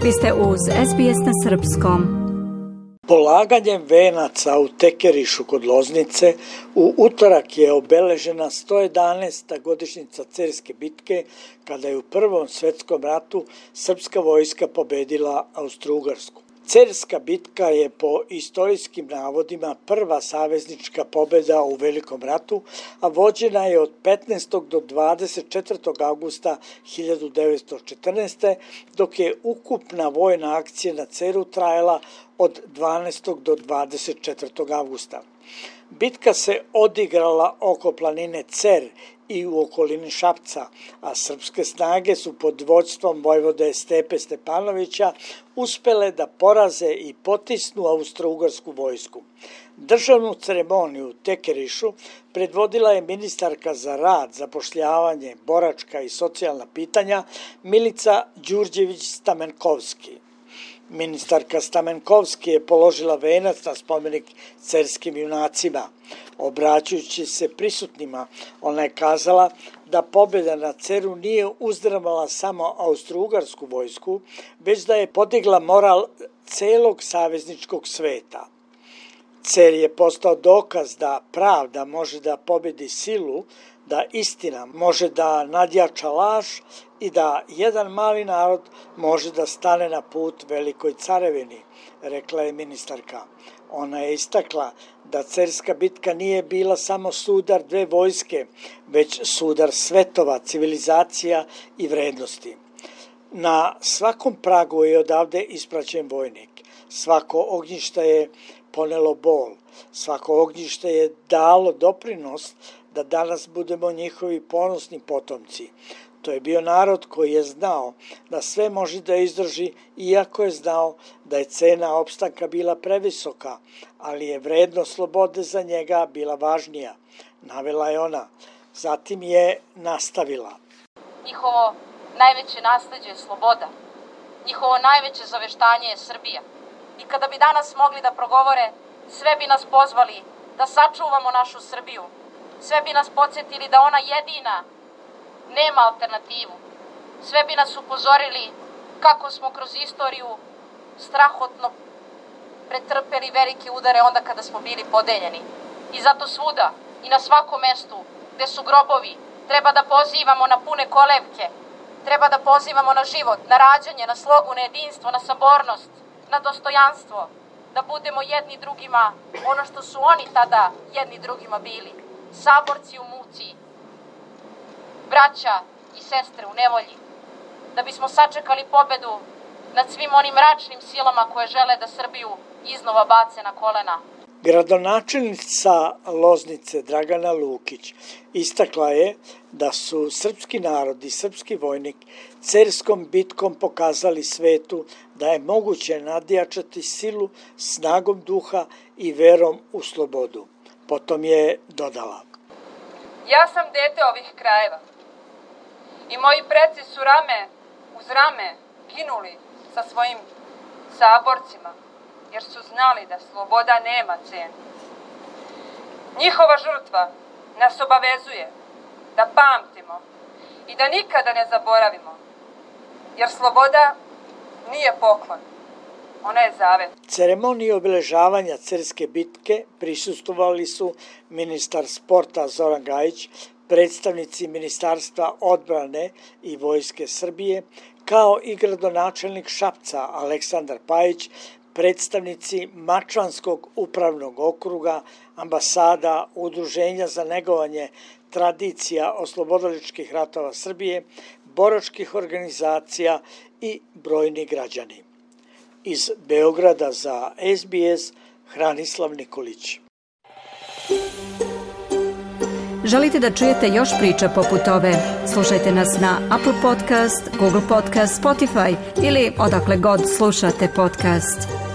Vi ste uz SBS na srpskom. Polaganjem venaca u Tekerišu kod Loznice u utorak je obeležena 111. godišnjica Cerske bitke, kada je u Prvom svetskom ratu srpska vojska pobedila Austro-Ugarsku. Cerska bitka je po istorijskim navodima prva saveznička pobeda u Velikom ratu, a vođena je od 15. do 24. augusta 1914. dok je ukupna vojna akcija na Ceru trajala od 12. do 24. augusta. Bitka se odigrala oko planine Cer i u okolini Šapca, a srpske snage su pod vođstvom vojvode Stepe Stepanovića uspele da poraze i potisnu austro-ugarsku vojsku. Državnu ceremoniju u Tekerišu predvodila je ministarka za rad, zapošljavanje, boračka i socijalna pitanja Milica Đurđević-Stamenkovski. Ministarka Stamenkovski je položila venac na spomenik cerskim junacima. Obraćajući se prisutnima, ona je kazala da pobjeda na Ceru nije uzdrmala samo austro-ugarsku vojsku, već da je podigla moral celog savezničkog sveta. Cer je postao dokaz da pravda može da pobedi silu, da istina može da nadjača laž i da jedan mali narod može da stane na put velikoj carevini, rekla je ministarka. Ona je istakla da Cerska bitka nije bila samo sudar dve vojske, već sudar svetova, civilizacija i vrednosti. Na svakom pragu je odavde ispraćen vojnik. Svako ognjište je ponelo bol. Svako ognjište je dalo doprinos da danas budemo njihovi ponosni potomci. To je bio narod koji je znao da sve može da izdrži, iako je znao da je cena opstanka bila previsoka, ali je vrednost slobode za njega bila važnija, navela je ona. Zatim je nastavila. Njihovo najveće nasleđe je sloboda. Njihovo najveće zaveštanje je Srbija. I kada bi danas mogli da progovore, sve bi nas pozvali da sačuvamo našu Srbiju. Sve bi nas podsjetili da ona jedina nema alternativu. Sve bi nas upozorili kako smo kroz istoriju strahotno pretrpeli velike udare onda kada smo bili podeljeni. I zato svuda i na svakom mestu gde su grobovi treba da pozivamo na pune kolevke, treba da pozivamo na život, na rađanje, na slogu, na jedinstvo, na sabornost, na dostojanstvo, da budemo jedni drugima ono što su oni tada jedni drugima bili. Saborci u muci, braća i sestre u nevolji, da bismo sačekali pobedu nad svim onim mračnim silama koje žele da Srbiju iznova bace na kolena. Gradonačelnica Loznice Dragana Lukić istakla je da su srpski narod i srpski vojnik Cerskom bitkom pokazali svetu da je moguće nadjačati silu snagom duha i verom u slobodu. Potom je dodala. Ja sam dete ovih krajeva i moji preci su rame uz rame ginuli sa svojim saborcima, jer su znali da sloboda nema cenu. Njihova žrtva nas obavezuje da pamtimo i da nikada ne zaboravimo, jer sloboda nije poklon, ona je zavet. Ceremoniji obeležavanja Cerske bitke prisustvovali su ministar sporta Zoran Gajić, predstavnici Ministarstva odbrane i Vojske Srbije, kao i gradonačelnik Šapca Aleksandar Pajić, predstavnici Mačvanskog upravnog okruga, ambasada, Udruženja za negovanje tradicija oslobodiličkih ratova Srbije, boračkih organizacija i brojni građani. Iz Beograda za SBS, Hranislav Nikolić. Želite da čujete još priča poput ove? Slušajte nas na Apple Podcast, Google Podcast, Spotify ili odakle god slušate podcast.